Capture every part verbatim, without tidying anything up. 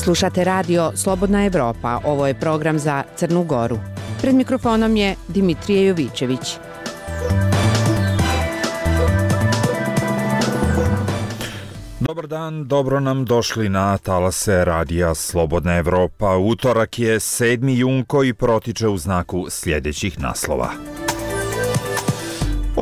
Slušate radio Slobodna Evropa, ovo je program za Crnu Goru. Pred mikrofonom je Dimitrije Jovićević. Dobar dan, dobro nam došli na talase radija Slobodna Evropa. Utorak je sedmi jun koji protiče u znaku sljedećih naslova.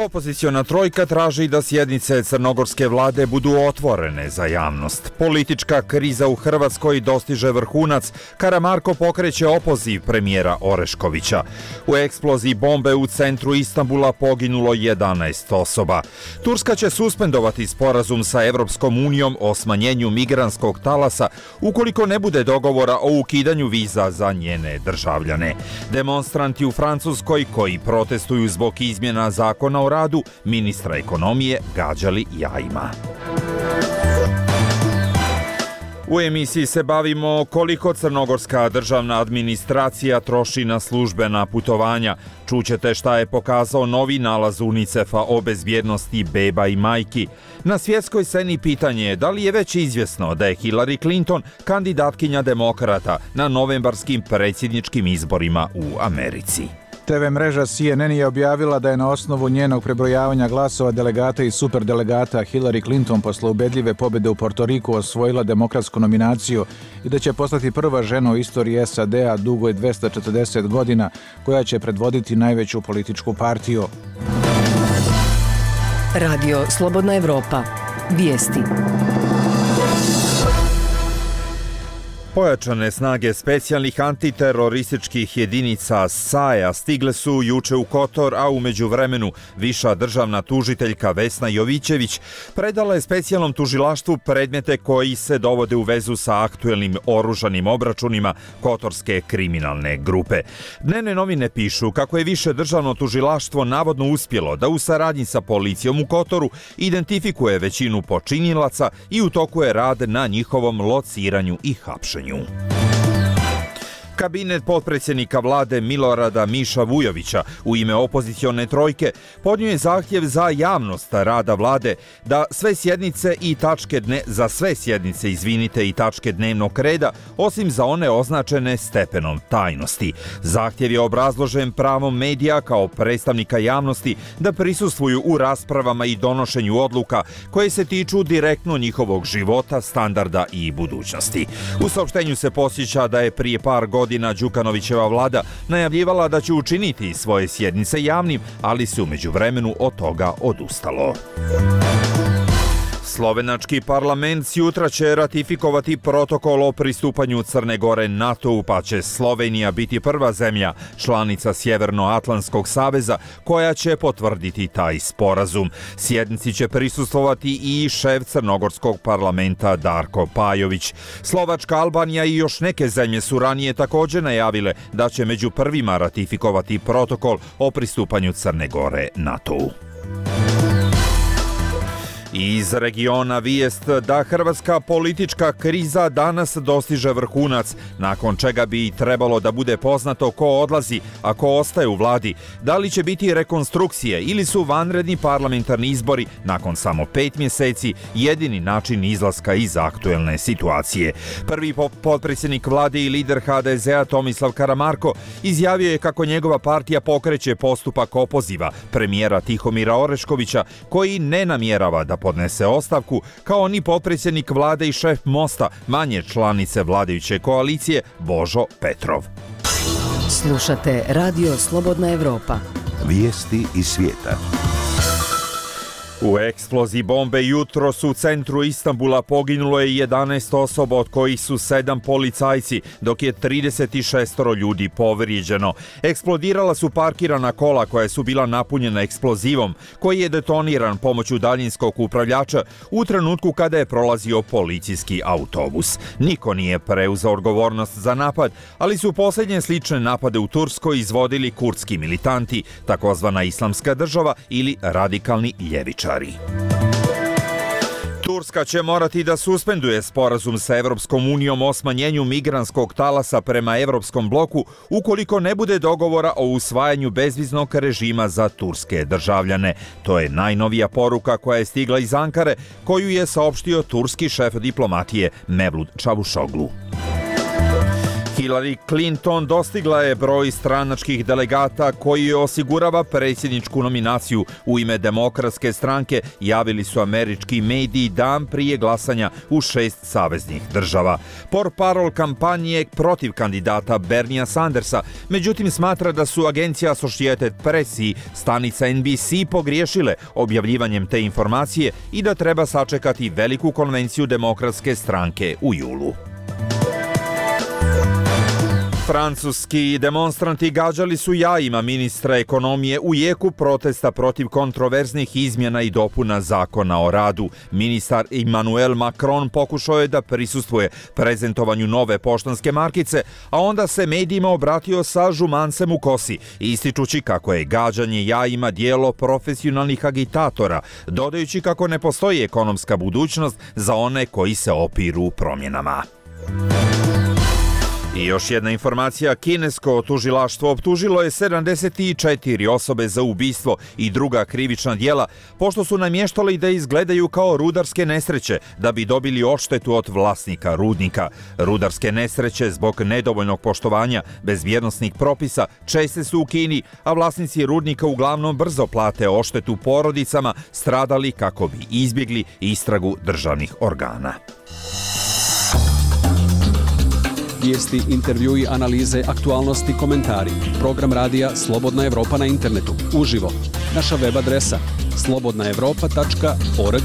Opoziciona trojka traži da sjednice crnogorske vlade budu otvorene za javnost. Politička kriza u Hrvatskoj dostiže vrhunac. Karamarko pokreće opoziv premijera Oreškovića. U eksploziji bombe u centru Istanbula poginulo jedanaest osoba. Turska će suspendovati sporazum sa Evropskom unijom o smanjenju migrantskog talasa ukoliko ne bude dogovora o ukidanju viza za njene državljane. Demonstranti u Francuskoj koji protestuju zbog izmjena zakona o radu ministra ekonomije gađali jajima. U emisiji se bavimo koliko crnogorska državna administracija troši na službena putovanja. Čućete šta je pokazao novi nalaz UNICEF-a o bezbjednosti beba i majki. Na svjetskoj sceni pitanje je da li je već izvjesno da je Hillary Clinton kandidatkinja demokrata na novembarskim predsjedničkim izborima u Americi. te ve mreža C N N je objavila da je na osnovu njenog prebrojavanja glasova delegata i superdelegata Hillary Clinton posle ubedljive pobjede u Portoriku osvojila demokratsku nominaciju i da će postati prva žena u istoriji S A D-a dugoj dvesta četrdeset godina koja će predvoditi najveću političku partiju. Radio Slobodna Evropa. Vijesti. Pojačane snage specijalnih antiterorističkih jedinica S A E-a stigle su juče u Kotor, a u međuvremenu viša državna tužiteljka Vesna Jovićević predala je specijalnom tužilaštvu predmete koji se dovode u vezu sa aktuelnim oružanim obračunima kotorske kriminalne grupe. Dnevne novine pišu kako je više državno tužilaštvo navodno uspjelo da u saradnji sa policijom u Kotoru identifikuje većinu počinilaca i u toku je rad na njihovom lociranju i hapšenju. Kabinet potpredsjednika vlade Milorada Miša Vujovića u ime opozicione trojke podnio je zahtjev za javnost rada vlade da sve sjednice i tačke dne za sve sjednice, izvinite, i tačke dnevnog reda, osim za one označene stepenom tajnosti. Zahtjev je obrazložen pravom medija kao predstavnika javnosti da prisustvuju u raspravama i donošenju odluka koje se tiču direktno njihovog života, standarda i budućnosti. U saopštenju se podsjeća da je prije par godina Godina Đukanovićeva vlada najavljivala da će učiniti svoje sjednice javnim, ali se u međuvremenu od toga odustalo. Slovenački parlament sutra će ratifikovati protokol o pristupanju Crne Gore NATO-u, pa će Slovenija biti prva zemlja članica Sjevernoatlantskog saveza koja će potvrditi taj sporazum. Sjednici će prisustvovati i šef crnogorskog parlamenta Darko Pajović. Slovačka, Albanija i još neke zemlje su ranije također najavile da će među prvima ratifikovati protokol o pristupanju Crne Gore NATO-u. Iz regiona vijest da hrvatska politička kriza danas dostiže vrhunac, nakon čega bi trebalo da bude poznato ko odlazi, a ko ostaje u vladi, da li će biti rekonstrukcije ili su vanredni parlamentarni izbori nakon samo pet mjeseci jedini način izlaska iz aktuelne situacije. Prvi potpredsjednik vlade i lider H D Z-a Tomislav Karamarko izjavio je kako njegova partija pokreće postupak opoziva premijera Tihomira Oreškovića, koji ne namjerava da podnese ostavku, kao ni potpredsjednik vlade i šef Mosta, manje članice vladajuće koalicije, Božo Petrov. Slušate Radio Slobodna Evropa. Vijesti iz svijeta. U eksploziji bombe jutros u centru Istanbula poginulo je jedanaest osoba, od kojih su sedam policajci, dok je trideset šest ljudi povrijeđeno. Eksplodirala su parkirana kola koja su bila napunjena eksplozivom, koji je detoniran pomoću daljinskog upravljača u trenutku kada je prolazio policijski autobus. Niko nije preuzeo odgovornost za napad, ali su posljednje slične napade u Turskoj izvodili kurdski militanti, takozvana Islamska država ili radikalni ljevičari. Turska će morati da suspenduje sporazum sa Evropskom unijom o smanjenju migrantskog talasa prema Evropskom bloku ukoliko ne bude dogovora o usvajanju bezviznog režima za turske državljane. To je najnovija poruka koja je stigla iz Ankare, koju je saopštio turski šef diplomatije Mevlut Čavuşoglu. Hillary Clinton dostigla je broj stranačkih delegata koji osigurava predsjedničku nominaciju u ime Demokratske stranke, javili su američki mediji dan prije glasanja u šest saveznih država. Portparol kampanje protiv kandidata Bernija Sandersa, međutim smatra da su agencija Associated Press i stanica N B C pogriješile objavljivanjem te informacije i da treba sačekati veliku konvenciju Demokratske stranke u julu. Francuski demonstranti gađali su jajima ministra ekonomije u jeku protesta protiv kontroverznih izmjena i dopuna zakona o radu. Ministar Emmanuel Macron pokušao je da prisustvuje prezentovanju nove poštanske markice, a onda se medijima obratio sa žumancem u kosi, ističući kako je gađanje jajima dijelo profesionalnih agitatora, dodajući kako ne postoji ekonomska budućnost za one koji se opiru promjenama. I još jedna informacija, kinesko tužilaštvo optužilo je sedamdeset četiri osobe za ubistvo i druga krivična djela, pošto su namještali da izgledaju kao rudarske nesreće da bi dobili odštetu od vlasnika rudnika. Rudarske nesreće zbog nedovoljnog poštovanja bezbjednosnih propisa česte su u Kini, a vlasnici rudnika uglavnom brzo plate odštetu porodicama stradali kako bi izbjegli istragu državnih organa. Vijesti, intervjui, analize, aktualnosti, komentari. Program radija Slobodna Evropa na internetu. Uživo. Naša web adresa slobodna evropa tačka org.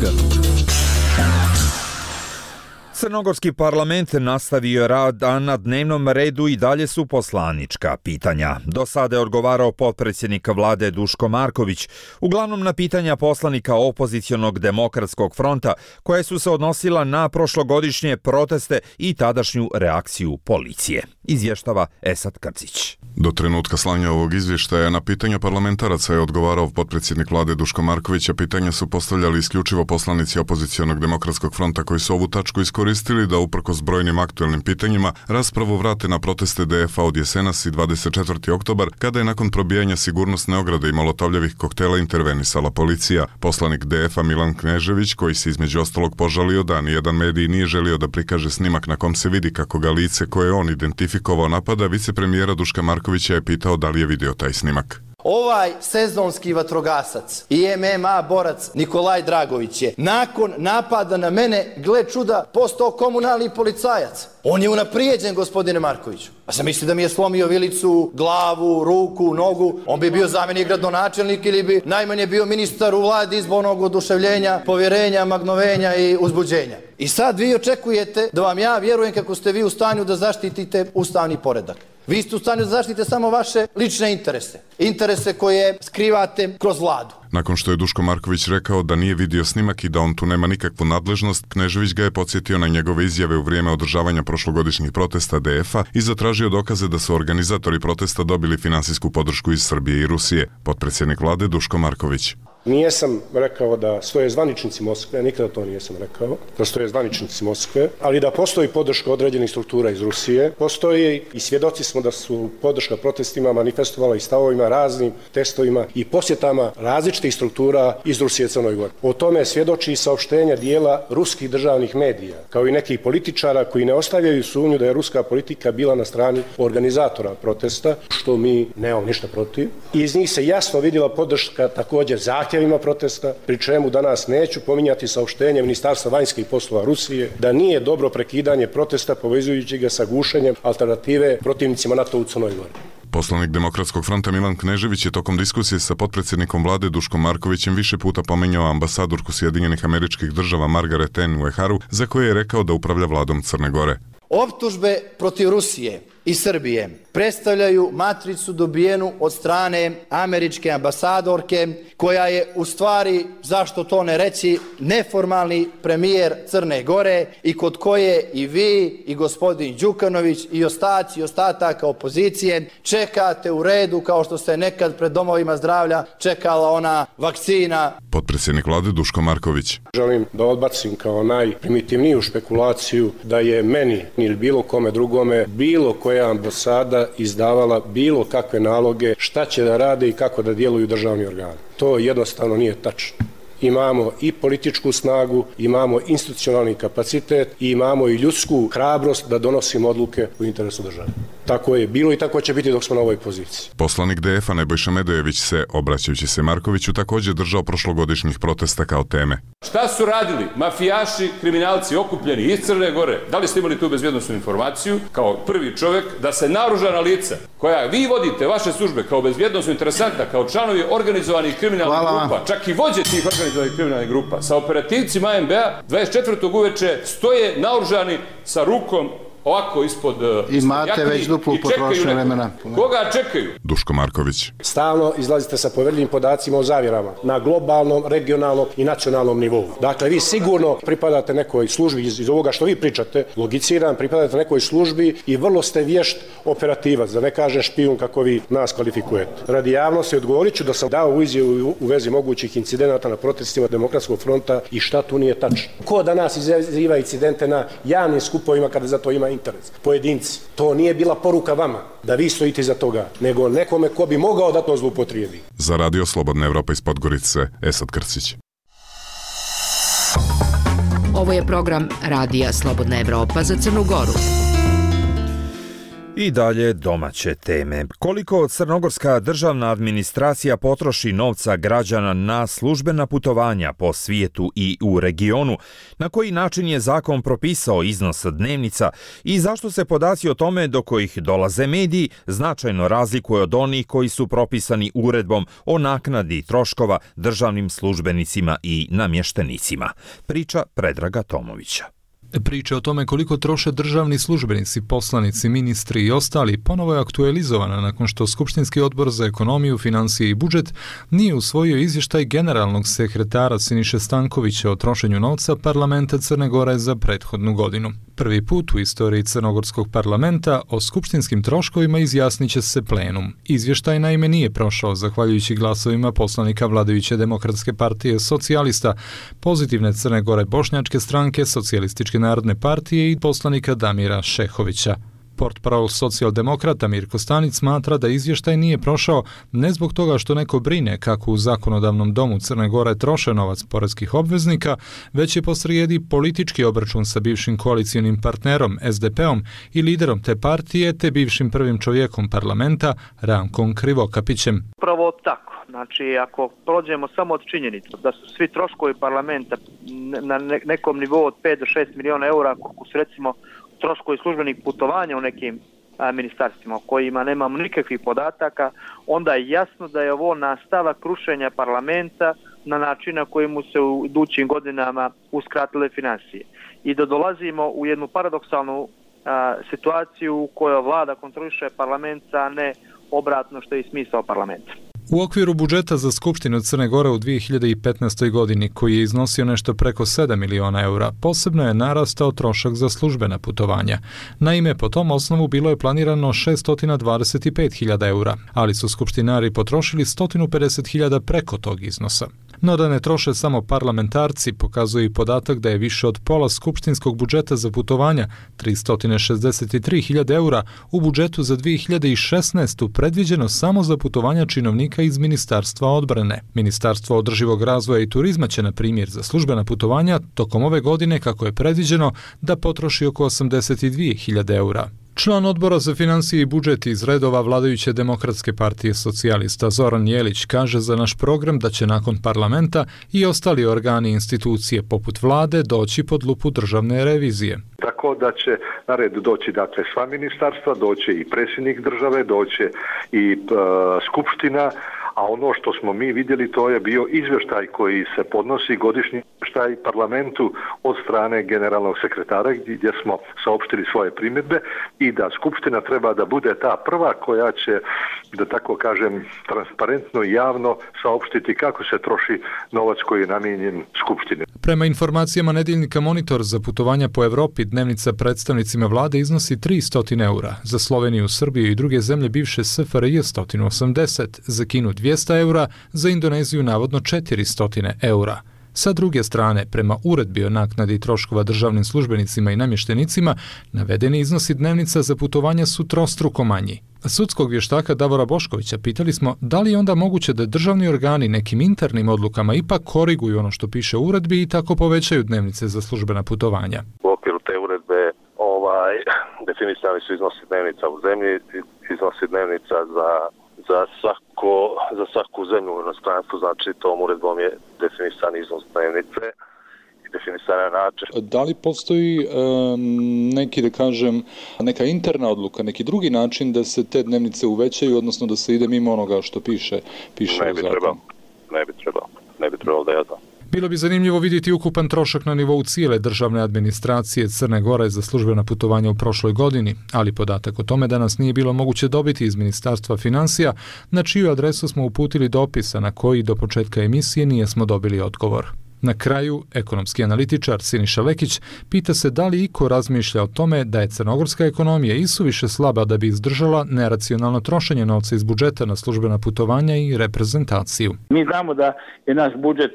Crnogorski parlament nastavio rad, a na dnevnom redu i dalje su poslanička pitanja. Do sada je odgovarao potpredsjednik vlade Duško Marković, uglavnom na pitanja poslanika opozicionog Demokratskog fronta, koje su se odnosila na prošlogodišnje proteste i tadašnju reakciju policije. Izvještava Esad Krcić. Do trenutka slanja ovog izvještaja na pitanja parlamentaraca je odgovarao potpredsjednik vlade Duško Marković, a pitanja su postavljali isključivo poslanici opozicionog Demokratskog fronta koji su ovu tačku iskoristili da uprkos brojnim aktuelnim pitanjima raspravu vrate na proteste D F A od jesenas i dvadeset četvrti oktobar, kada je nakon probijanja sigurnosne ograde i molotovljevih koktela intervenisala policija. Poslanik D F A Milan Knežević, koji se između ostalog požalio da nijedan medij nije želio da prikaže snimak na kom se vidi kako ga lice koje on identifikovao napada, vicepremijera Duška Markovića je pitao da li je vidio taj snimak. Ovaj sezonski vatrogasac i M M A borac Nikolaj Dragović je nakon napada na mene, gle čuda, postao komunalni policajac. On je unaprijeđen, gospodine Markoviću. A sam mislio da mi je slomio vilicu, glavu, ruku, nogu. On bi bio zamjenik gradonačelnik ili bi najmanje bio ministar u vladi izbornog oduševljenja, povjerenja, magnovenja i uzbuđenja. I sad vi očekujete da vam ja vjerujem kako ste vi u stanju da zaštitite ustavni poredak. Vi ste u stanju da zaštitite samo vaše lične interese. Interese koje skrivate kroz vladu. Nakon što je Duško Marković rekao da nije vidio snimak i da on tu nema nikakvu nadležnost, Knežević ga je podsjetio na njegove izjave u vrijeme održavanja prošlogodišnjih protesta D F A i zatražio dokaze da su organizatori protesta dobili finansijsku podršku iz Srbije i Rusije. Potpredsjednik vlade Duško Marković. Nijesam rekao da stoje zvaničnici Moskve, nikada to nijesam rekao, da stoje zvaničnici Moskve, ali da postoji podrška određenih struktura iz Rusije, postoji i svjedoci smo da su podrška protestima manifestovala i stavovima, raznim testovima i posjetama različitih struktura iz Rusije i Crnoj Gori. O tome svjedoči i saopštenja dijela ruskih državnih medija, kao i nekih političara koji ne ostavljaju sumnju da je ruska politika bila na strani organizatora protesta, što mi nemamo ništa protiv. I iz njih se jasno vidjela podrška također zahtjevima protesta, pri čemu danas neću pominjati saopštenje Ministarstva vanjskih poslova Rusije da nije dobro prekidanje protesta povezujući ga sa gušenjem alternative protivnicima NATO u Crnoj Gori. Poslanik Demokratskog fronta Milan Knežević je tokom diskusije sa potpredsjednikom vlade Duškom Markovićem više puta pominjao ambasadorku Sjedinjenih Američkih Država Margaret Ann Ueharu, za koje je rekao da upravlja vladom Crne Gore. Optužbe protiv Rusije i Srbije predstavljaju matricu dobijenu od strane američke ambasadorke, koja je u stvari, zašto to ne reći, neformalni premijer Crne Gore i kod koje i vi i gospodin Đukanović i ostaci ostataka opozicije čekate u redu kao što se nekad pred domovima zdravlja čekala ona vakcina. Potpredsjednik vlade Duško Marković. Želim da odbacim kao najprimitivniju špekulaciju da je meni ili bilo kome drugome bilo koja ambasada izdavala bilo kakve naloge šta će da rade i kako da djeluju državni organi. To jednostavno nije tačno. imamo i političku snagu, imamo institucionalni kapacitet i imamo i ljudsku hrabrost da donosimo odluke u interesu države. Tako je bilo i tako će biti dok smo na ovoj poziciji. Poslanik D F-a Nebojša Medojević se, obraćajući se Markoviću, također držao prošlogodišnjih protesta kao teme. Šta su radili mafijaši, kriminalci okupljeni iz Crne Gore? Da li ste imali tu bezbjednosnu informaciju kao prvi čovjek da se naoružana lica koja vi vodite, vaše službe kao bezbjednosno interesantna, kao članovi organizovanih kriminalnih Hvala grupa, čak i vođe tih organizovanih kriminalnih grupa, sa operativcima A M B-a dvadeset četvrtog uveče stoje naoružani sa rukom ovako ispod imate već duplu potrošnju vremena. Koga čekaju? Duško Marković. Stalno izlazite sa poverljivim podacima o zavjerama na globalnom, regionalnom i nacionalnom nivou. Dakle, vi sigurno pripadate nekoj službi iz, iz ovoga što vi pričate, logiciram, pripadate nekoj službi i vrlo ste vješt operativac, da ne kažem špijun kako vi nas kvalifikujete. Radi javnosti odgovorit ću da sam dao u izjavu u vezi mogućih incidenata na protestima Demokratskog fronta i šta tu nije tačno. Ko danas izaziva incidente na javnim skupovima kada za to ima interes? Pojedinci. To nije bila poruka vama da vi stojite iza toga, nego nekome ko bi mogao da to zloupotrijebi. Za Radio Slobodna Evropa iz Podgorice, Esad Krcić. Ovo je program Radija Slobodna Evropa za Crnu Goru. I dalje domaće teme. Koliko crnogorska državna administracija potroši novca građana na službena putovanja po svijetu i u regionu, na koji način je zakon propisao iznos dnevnica i zašto se podaci o tome do kojih dolaze mediji značajno razlikuju od onih koji su propisani uredbom o naknadi troškova državnim službenicima i namještenicima. Priča Predraga Tomovića. Priča o tome koliko troše državni službenici, poslanici, ministri i ostali ponovo je aktualizovana nakon što Skupštinski odbor za ekonomiju, financije i budžet nije usvojio izvještaj generalnog sekretara Siniše Stankovića o trošenju novca parlamenta Crne Gore za prethodnu godinu. Prvi put u istoriji Crnogorskog parlamenta o skupštinskim troškovima izjasnit će se plenum. Izvještaj naime nije prošao zahvaljujući glasovima poslanika vladajuće Demokratske partije socijalista, Pozitivne Crne Gore bošnjačke stranke, Socijalističke narodne partije i poslanika Damira Šehovića. Portparol socijaldemokrata Mirko Stanić smatra da izvještaj nije prošao ne zbog toga što neko brine kako u zakonodavnom domu Crne Gore troše novac poreskih obveznika, već je posrijedi politički obračun sa bivšim koalicijonim partnerom S D P-om i liderom te partije te bivšim prvim čovjekom parlamenta Rankom Krivokapićem. Pravo tako. Znači, ako prođemo samo od činjenica da su svi troškovi parlamenta na nekom nivou od pet do šest miliona eura, koliko su recimo troškovi službenih putovanja u nekim a, ministarstvima o kojima nemamo nikakvih podataka, onda je jasno da je ovo nastavak rušenja parlamenta na način na koji mu se u idućim godinama uskratile financije. I da dolazimo u jednu paradoksalnu a, situaciju u kojoj vlada kontroliše parlament, a ne obratno što je i smisao parlamenta. U okviru budžeta za Skupštinu Crne Gore u dvije hiljade petnaestoj. godini, koji je iznosio nešto preko sedam miliona eura, posebno je narastao trošak za službena putovanja. Naime, po tom osnovu bilo je planirano šesto dvadeset pet hiljada eura, ali su skupštinari potrošili sto pedeset hiljada preko tog iznosa. No da ne troše samo parlamentarci, pokazuje i podatak da je više od pola skupštinskog budžeta za putovanja, tristo šezdeset tri hiljade eura, u budžetu za dvije hiljade šesnaestu. predviđeno samo za putovanja činovnika iz Ministarstva odbrane. Ministarstvo održivog razvoja i turizma će, na primjer, za službena putovanja tokom ove godine, kako je predviđeno, da potroši oko osamdeset dvije hiljade eura. Član odbora za financije i budžet iz redova vladajuće Demokratske partije socijalista Zoran Jelić kaže za naš program da će nakon parlamenta i ostali organi i institucije poput vlade doći pod lupu državne revizije. Tako da će na red doći dakle sva ministarstva, doće i predsjednik države, doće i e, skupština, a ono što smo mi vidjeli to je bio izvještaj koji se podnosi, godišnji izvještaj parlamentu od strane generalnog sekretara gdje smo saopštili svoje primjedbe i da skupština treba da bude ta prva koja će, da tako kažem, transparentno i javno saopštiti kako se troši novac koji je namijenjen skupštini. Prema informacijama nedjeljnika Monitor, za putovanja po Evropi dnevnica predstavnicima vlade iznosi tristo eura, za Sloveniju, Srbiju i druge zemlje bivše S F R J sto osamdeset, za Kinu dvjesto eura, za Indoneziju navodno četiristo eura. Sa druge strane, prema uredbi o naknadi troškova državnim službenicima i namještenicima, navedeni iznosi dnevnica za putovanja su trostruko manji. Sudskog vještaka Davora Boškovića pitali smo da li je onda moguće da državni organi nekim internim odlukama ipak koriguju ono što piše u uredbi i tako povećaju dnevnice za službena putovanja. U okviru te uredbe ovaj, definisani su iznosi dnevnica u zemlji, iznosi dnevnica za, za, svako, za svaku zemlju u inostranstvu, znači tom uredbom je definisan iznos dnevnice. Da li postoji um, neki, da kažem, neka interna odluka, neki drugi način da se te dnevnice uvećaju, odnosno da se ide mimo onoga što piše, piše ne u bi zakonu? Trebalo, ne bi trebalo, ne bi trebalo da ja znam. Bilo bi zanimljivo vidjeti ukupan trošak na nivou cijele državne administracije Crne Gore za službena putovanja u prošloj godini, ali podatak o tome danas nije bilo moguće dobiti iz Ministarstva financija, na čiju adresu smo uputili dopisa na koji do početka emisije nijesmo dobili odgovor. Na kraju, ekonomski analitičar Siniša Lekić pita se da li iko razmišlja o tome da je crnogorska ekonomija isuviše slaba da bi izdržala neracionalno trošenje novca iz budžeta na službena putovanja i reprezentaciju. Mi znamo da je naš budžet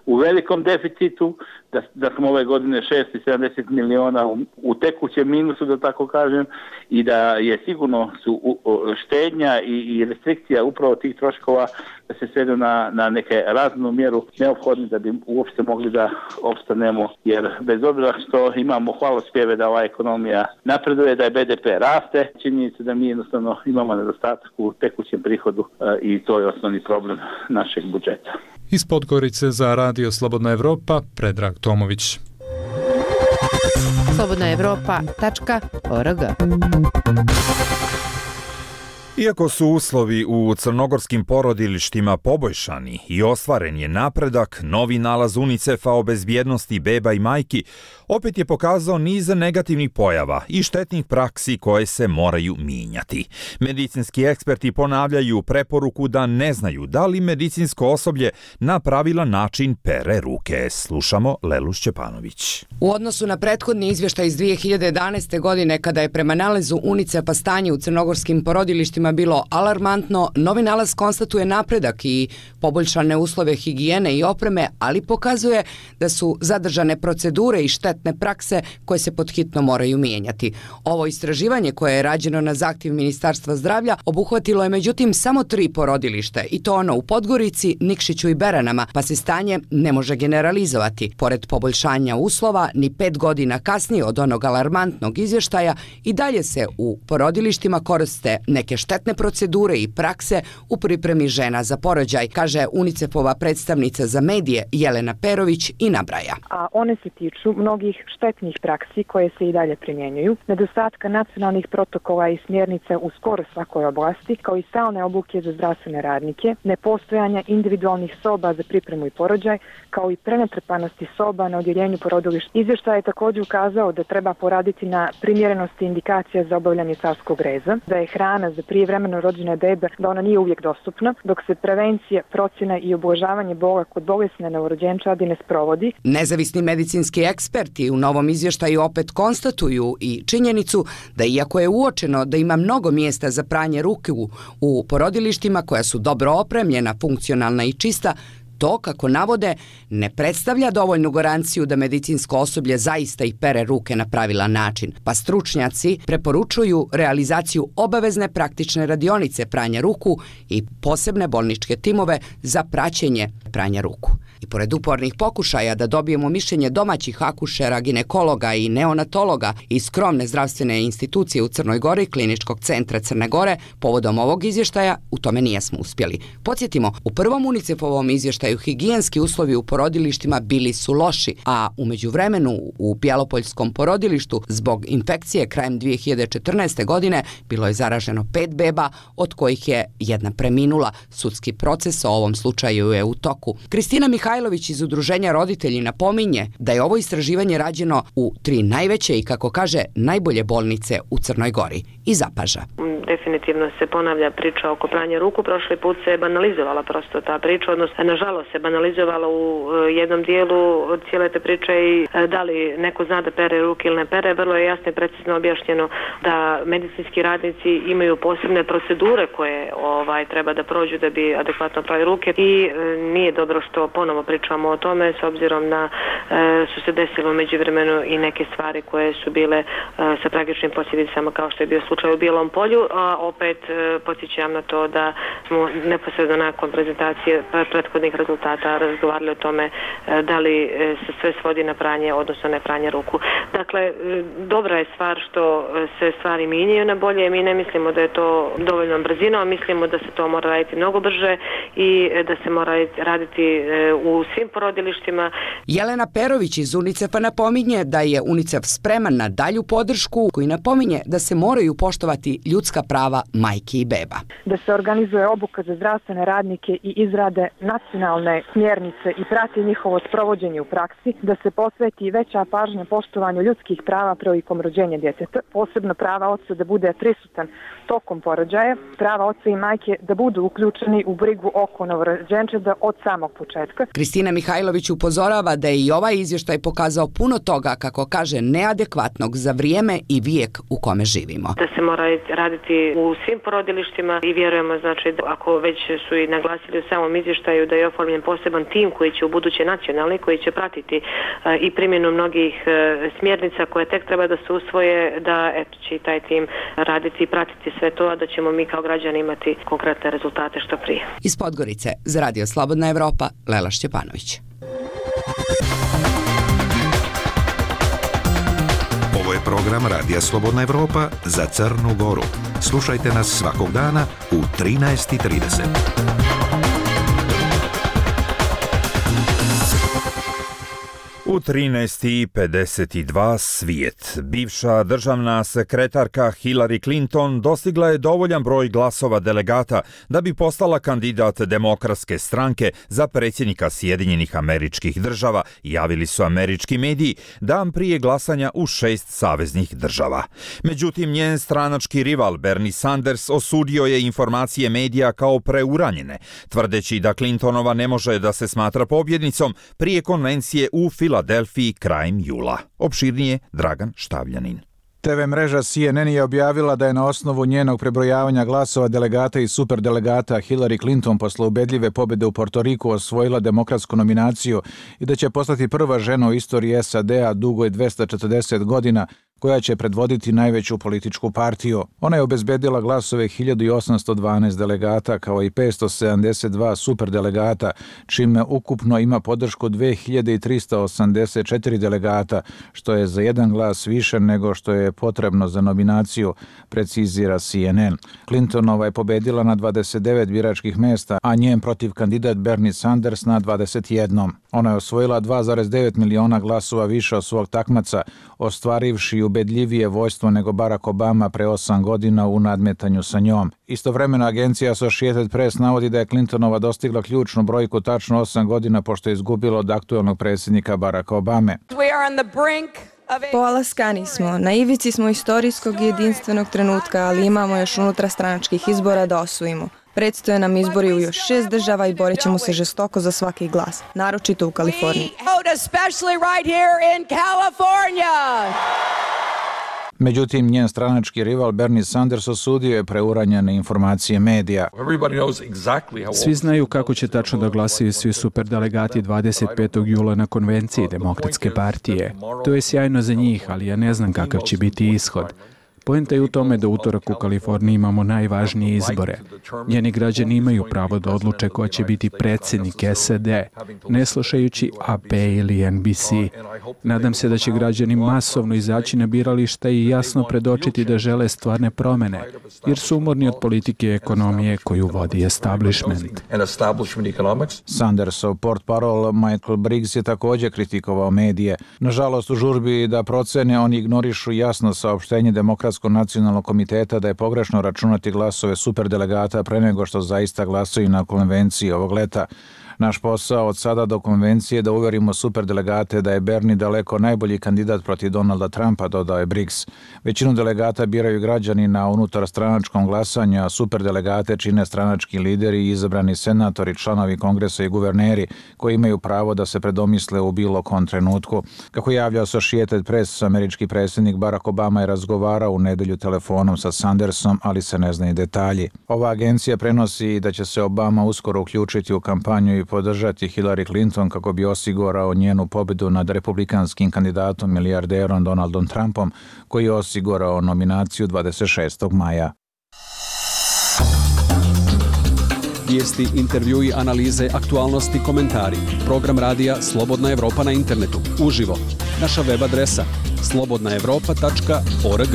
u velikom deficitu, da, da smo ove godine šesto sedamdeset miliona u, u tekućem minusu, da tako kažem, i da je sigurno su u, u, štednja i, i restrikcija upravo tih troškova da se svedu na, na neke raznu mjeru neophodne da bi uopšte mogli da opstanemo, jer bez obzira što imamo hvalospjeve da ova ekonomija napreduje, da je be de pe raste, činjenica da mi jednostavno imamo nedostatak u tekućem prihodu e, i to je osnovni problem našeg budžeta. Iz Podgorice za Radio Slobodna Evropa, Predrag Tomović. slobodna evropa tačka org. Iako su uslovi u crnogorskim porodilištima poboljšani i ostvaren je napredak, novi nalaz UNICEF-a o bezbjednosti beba i majki opet je pokazao niz negativnih pojava i štetnih praksi koje se moraju mijenjati. Medicinski eksperti ponavljaju preporuku da ne znaju da li medicinsko osoblje na pravilan način pere ruke. Slušamo Lelu Šćepanović. U odnosu na prethodni izvještaj iz dvije hiljade jedanaeste. godine, kada je prema nalazu UNICEF-a stanje u crnogorskim porodilištima bilo alarmantno, novi nalaz konstatuje napredak i poboljšane uslove higijene i opreme, ali pokazuje da su zadržane procedure i štetne prakse koje se podhitno moraju mijenjati. Ovo istraživanje koje je rađeno na zahtjev Ministarstva zdravlja obuhvatilo je međutim samo tri porodilište i to ono u Podgorici, Nikšiću i Beranama, pa se stanje ne može generalizovati. Pored poboljšanja uslova, ni pet godina kasnije od onog alarmantnog izvještaja i dalje se u porodilištima koriste neke štetne procedure i prakse u pripremi žena za porođaj, kaže UNICEF-ova predstavnica za medije Jelena Perović i nabraja. A one se tiču mnogih štetnih praksi koje se i dalje primjenjuju, nedostatka nacionalnih protokola i smjernica u skoro svakoj oblasti, kao i stalne obuke za zdravstvene radnike, nepostojanja individualnih soba za pripremu i porođaj, kao i prenatrpanosti soba na odjeljenju porodilišta. Izvještaj je također ukazao da treba poraditi na primjerenosti indikacija za obavljanje carskog reza, da je hrana za prijevremeno rođene bebe, da ona nije uvijek dostupna, dok se prevencija, procjena i ublažavanje bola kod bolesne novorođenčadi ne sprovodi. Nezavisni medicinski eksperti u novom izvještaju opet konstatuju i činjenicu da iako je uočeno da ima mnogo mjesta za pranje ruku u porodilištima koja su dobro opremljena, funkcionalna i čista, to, kako navode, ne predstavlja dovoljnu garanciju da medicinsko osoblje zaista i pere ruke na pravilan način, pa stručnjaci preporučuju realizaciju obavezne praktične radionice pranja ruku i posebne bolničke timove za praćenje pranja ruku. I pored upornih pokušaja da dobijemo mišljenje domaćih akušera, ginekologa i neonatologa iz skromne zdravstvene institucije u Crnoj Gori, Kliničkog centra Crne Gore, povodom ovog izvještaja u tome nijesmo uspjeli. Podsjetimo, u prvom UNICEF-ovom izvještaju higijenski uslovi u porodilištima bili su loši, a u međuvremenu u Bjelopoljskom porodilištu zbog infekcije krajem dvije hiljade četrnaeste. godine bilo je zaraženo pet beba, od kojih je jedna preminula. Sudski proces o ovom slučaju je u toku. Kristina Mihajlović iz Udruženja roditelji napominje da je ovo istraživanje rađeno u tri najveće i, kako kaže, najbolje bolnice u Crnoj Gori i zapaža. Definitivno se ponavlja priča oko pranja ruku. Prošli put se je banalizovala prosto ta priča, odnosno nažalost se banalizovala u jednom dijelu cijele te priče i da li neko zna da pere ruke ili ne pere. Vrlo je jasno i precizno objašnjeno da medicinski radnici imaju posebne procedure koje ovaj treba da prođu da bi adekvatno prali ruke i e, nije dobro što ponovo pričamo o tome s obzirom na e, su se desilo u međuvremenu i neke stvari koje su bile e, sa tragičnim posljedicama kao što je bio slučaj u Bijelom polju, a opet e, podsjećam na to da smo neposredno nakon prezentacije prethodnih rezultata razgovarali o tome e, da li e, se sve svodi na pranje, odnosno ne pranje ruku. Dakle, e, dobra je stvar što se stvari mijenjaju na bolje. Mi ne mislimo da je to dovoljno brzino, mislimo da se to mora raditi mnogo brže i da se mora raditi u svim porodilištima. Jelena Perović iz UNICEF-a napominje da je UNICEF spreman na dalju podršku, koji napominje da se moraju poštovati ljudska prava majki i beba. Da se organizuje obuka za zdravstvene radnike i izrade nacionalne smjernice i prati njihovo sprovođenje u praksi, da se posveti veća pažnja poštovanju ljudskih prava prilikom rođenja djeteta, posebno prava oca da bude prisutan tokom porođaja, prava oca i majke da budu uključeni u brigu oko novorođenčeta od samog početka. Kristina Mihajlović upozorava da je i ovaj izvještaj pokazao puno toga, kako kaže, neadekvatnog za vrijeme i vijek u kome živimo. Da se mora raditi u svim porodilištima i vjerujemo, znači, ako već su i naglasili u samom izvještaju da je oformljen poseban tim koji će u buduće nacionalni, koji će pratiti uh, i primjenu mnogih uh, smjernica koje tek treba da se usvoje, da eto, će i taj tim raditi i pratiti sve to, a da ćemo mi kao građani imati konkretne rezultate što prije. Iz Podgorice za Radio Slobodna Evropa, Lela Šćepanović. Ovo je program Radija Slobodna Evropa za Crnu Goru. Slušajte nas svakog dana u trinaest i trideset. U trinaest i pedeset dva svijet. Bivša državna sekretarka Hillary Clinton dostigla je dovoljan broj glasova delegata da bi postala kandidat Demokratske stranke za predsjednika Sjedinjenih Američkih Država, javili su američki mediji dan prije glasanja u šest saveznih država. Međutim, njen stranački rival Bernie Sanders osudio je informacije medija kao preuranjene, tvrdeći da Clintonova ne može da se smatra pobjednicom prije konvencije u Filadelfiji Delfiji krajem jula. Opširnije Dragan Štavljanin. T V mreža C N N je objavila da je na osnovu njenog prebrojavanja glasova delegata i superdelegata Hillary Clinton posle ubedljive pobjede u Portoriku osvojila demokratsku nominaciju i da će postati prva žena u istoriji S A D-a dugoj dvesta četrdeset godina koja će predvoditi najveću političku partiju. Ona je obezbedila glasove hiljadu osamsto dvanaest delegata kao i petsto sedamdeset dva superdelegata, čime ukupno ima podršku dve hiljade trista osamdeset četiri delegata, što je za jedan glas više nego što je potrebno za nominaciju, precizira C N N. Clintonova je pobedila na dvadeset devet biračkih mesta, a njen protiv kandidat Bernie Sanders na dvadeset jedan. Ona je osvojila dva zarez devet miliona glasova više od svog takmaca, ostvarivši ubedljivije vojstvo nego Barack Obama pre osam godina u nadmetanju sa njom. Istovremeno agencija Associated Press navodi da je Clintonova dostigla ključnu brojku tačno osam godina pošto je izgubila od aktuelnog predsjednika Baracka Obame. Polaskani smo, na ivici smo istorijskog i jedinstvenog trenutka, ali imamo još unutrastranačkih izbora da osvojimo. Predstoje nam izbori u još šest država i borit ćemo se žestoko za svaki glas, naročito u Kaliforniji. Međutim, njen stranački rival Bernie Sanders osudio je preuranjene informacije medija. Svi znaju kako će tačno da glasaju svi superdelegati dvadeset petog jula na konvenciji Demokratske partije. To je sjajno za njih, ali ja ne znam kakav će biti ishod. Poenta je u tome da utorak u Kaliforniji imamo najvažnije izbore. Njeni građani imaju pravo da odluče ko će biti predsjednik S A D, ne slušajući A P ili N B C. Nadam se da će građani masovno izaći na birališta i jasno predočiti da žele stvarne promene, jer su umorni od politike i ekonomije koju vodi establishment. Sandersov portparol Michael Briggs je također kritikovao medije. Nažalost, u žurbi da procene, oni ignorišu jasno saopštenje Demokratskog nacionalnog komiteta da je pogrešno računati glasove superdelegata pre nego što zaista glasaju na konvenciji ovog leta. Naš posao od sada do konvencije da uverimo superdelegate da je Bernie daleko najbolji kandidat protiv Donalda Trumpa, dodao je Briggs. Većinu delegata biraju građani na unutarstranačkom glasanju, a superdelegate čine stranački lideri i izabrani senatori, članovi kongresa i guverneri koji imaju pravo da se predomisle u bilo kom trenutku. Kako javlja Associated Press, američki predsjednik Barack Obama je razgovarao u nedelju telefonom sa Sandersom, ali se ne znaju detalji. Ova agencija prenosi da će se Obama uskoro uključiti u kampanju i podržati Hillary Clinton kako bi osigurao njenu pobedu nad republikanskim kandidatom milijarderom Donaldom Trumpom, koji je osigurao nominaciju dvadeset šestog maja. Vijesti, intervjui, analize, aktualnosti, komentari. Program radija Slobodna Evropa na internetu. Uživo. Naša web adresa slobodna evropa tačka org.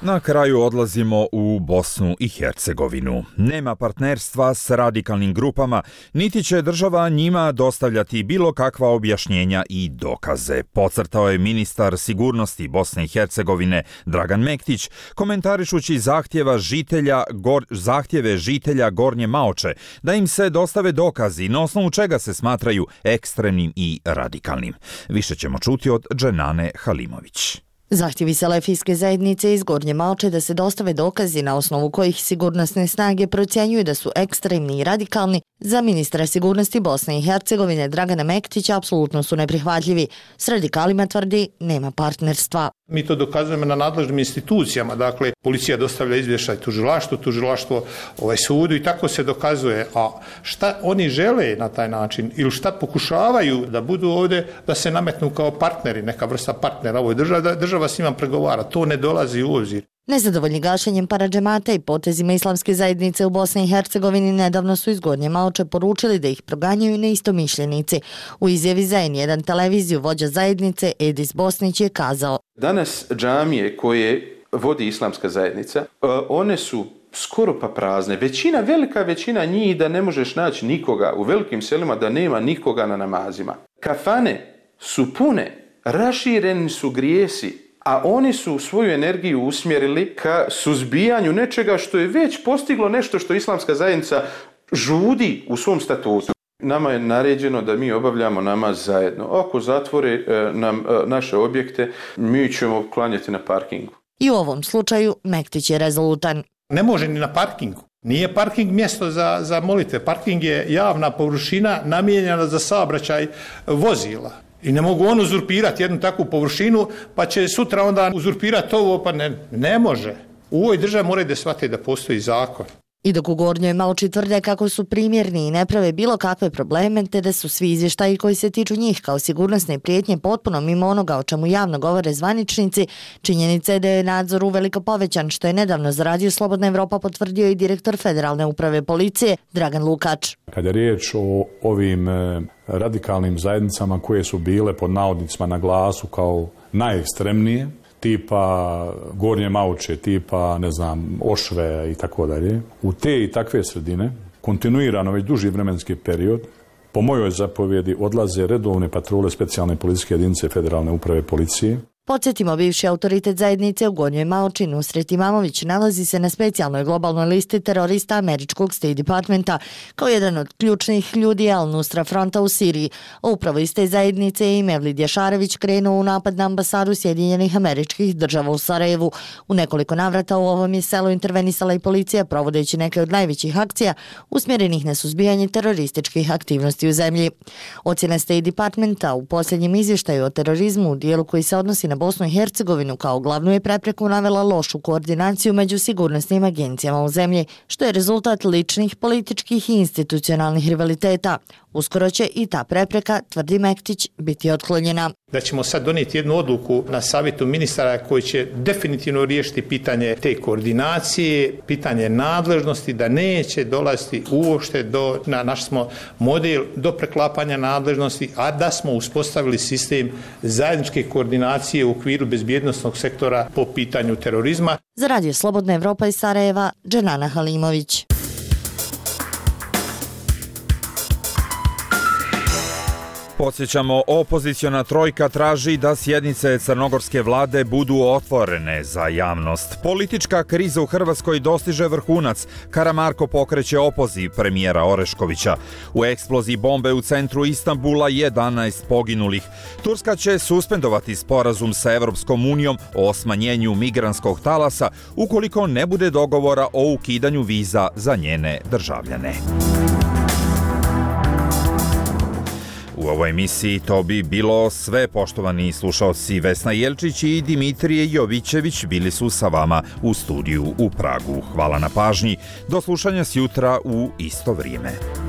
Na kraju odlazimo u Bosnu i Hercegovinu. Nema partnerstva s radikalnim grupama, niti će država njima dostavljati bilo kakva objašnjenja i dokaze, podcrtao je ministar sigurnosti Bosne i Hercegovine Dragan Mektić, komentarišući zahtjeva žitelja, gor, zahtjeve žitelja Gornje Maoče da im se dostave dokazi na osnovu čega se smatraju ekstremnim i radikalnim. Više ćemo čuti od Dženane Halimović. Zahtjevi selefijske zajednice iz Gornje Maoče da se dostave dokazi na osnovu kojih sigurnosne snage procjenjuju da su ekstremni i radikalni, za ministra sigurnosti Bosne i Hercegovine Dragana Mektića apsolutno su neprihvatljivi. S radikalima tvrdi nema partnerstva. Mi to dokazujemo na nadležnim institucijama, dakle policija dostavlja izvještaj tužilaštvu, tužilaštvo ovaj sudu i tako se dokazuje. A šta oni žele na taj način ili šta pokušavaju da budu ovdje, da se nametnu kao partneri, neka vrsta partnera ovoj državi, da država s njima pregovara, to ne dolazi u obzir. Nezadovoljni gašenjem paradžemata i potezima islamske zajednice u Bosni i Hercegovini nedavno su iz Gornje Maoče poručili da ih proganjaju neistomišljenici. U izjavi za en jedan televiziju vođa zajednice Edis Bosnić je kazao: Danas džamije koje vodi islamska zajednica, one su skoro pa prazne. Većina, velika većina njih da ne možeš naći nikoga u velikim selima, da nema nikoga na namazima. Kafane su pune, rašireni su grijesi, a oni su svoju energiju usmjerili ka suzbijanju nečega što je već postiglo nešto što islamska zajednica žudi u svom statutu. Nama je naređeno da mi obavljamo namaz zajedno. Ako zatvore nam naše objekte, mi ćemo klanjati na parkingu. I u ovom slučaju Mektić je rezolutan. Ne može ni na parkingu. Nije parking mjesto za, za molitve. Parking je javna površina namijenjena za saobraćaj vozila. I ne mogu on uzurpirati jednu takvu površinu, pa će sutra onda uzurpirati ovo, pa ne, ne može. U ovoj državi moraju da shvate da postoji zakon. I dok u Gornjoj Maoči tvrde kako su primjerni i ne prave bilo kakve probleme, te da su svi izvještaji koji se tiču njih kao sigurnosne prijetnje potpuno mimo onoga o čemu javno govore zvaničnici, činjenica je da je nadzor uveliko povećan, što je nedavno za Radio Slobodna Evropa potvrdio i direktor Federalne uprave policije Dragan Lukač. Kada je riječ o ovim radikalnim zajednicama koje su bile pod navodnicima na glasu kao najekstremnije, tipa Gornje Maoče, tipa, ne znam, Ošve i tako dalje. U te i takve sredine, kontinuirano već duži vremenski period, po mojoj zapovjedi odlaze redovne patrole specijalne policijske jedinice Federalne uprave policije. Podsjetimo, bivši autoritet zajednice u Gornjoj Maoči Nusret Imamović nalazi se na specijalnoj globalnoj listi terorista američkog State Departmenta kao jedan od ključnih ljudi Al-Nusra fronta u Siriji. Upravo iz te zajednice je i Mevlid Jašarević krenuo u napad na ambasadu Sjedinjenih američkih država u Sarajevu. U nekoliko navrata u ovom je selu intervenisala i policija provodeći neke od najvećih akcija usmjerenih na suzbijanje terorističkih aktivnosti u zemlji. Ocjena State Departmenta u posljednjem izvještaju o terorizmu u dijelu koji se odnosi na Bosnu i Hercegovinu kao glavnu je prepreku navela lošu koordinaciju među sigurnosnim agencijama u zemlji, što je rezultat ličnih, političkih i institucionalnih rivaliteta. Uskoro će i ta prepreka, tvrdi Mektić, biti otklonjena. Da ćemo sad donijeti jednu odluku na savjetu ministara koji će definitivno riješiti pitanje te koordinacije, pitanje nadležnosti, da neće dolaziti uopšte do, na naš smo model, do preklapanja nadležnosti, a da smo uspostavili sistem zajedničke koordinacije u okviru bezbjednosnog sektora po pitanju terorizma. Za Radio Slobodna Evropa iz Sarajeva, Dženana Halimović. Podsjećamo, opoziciona trojka traži da sjednice crnogorske vlade budu otvorene za javnost. Politička kriza u Hrvatskoj dostiže vrhunac. Karamarko pokreće opoziv premijera Oreškovića. U eksploziji bombe u centru Istanbula jedanaest poginulih. Turska će suspendovati sporazum sa Evropskom unijom o smanjenju migrantskog talasa ukoliko ne bude dogovora o ukidanju viza za njene državljane. U ovoj emisiji to bi bilo sve, poštovani slušaoci. Vesna Jelčić i Dimitrije Jovićević bili su sa vama u studiju u Pragu. Hvala na pažnji. Do slušanja sjutra u isto vrijeme.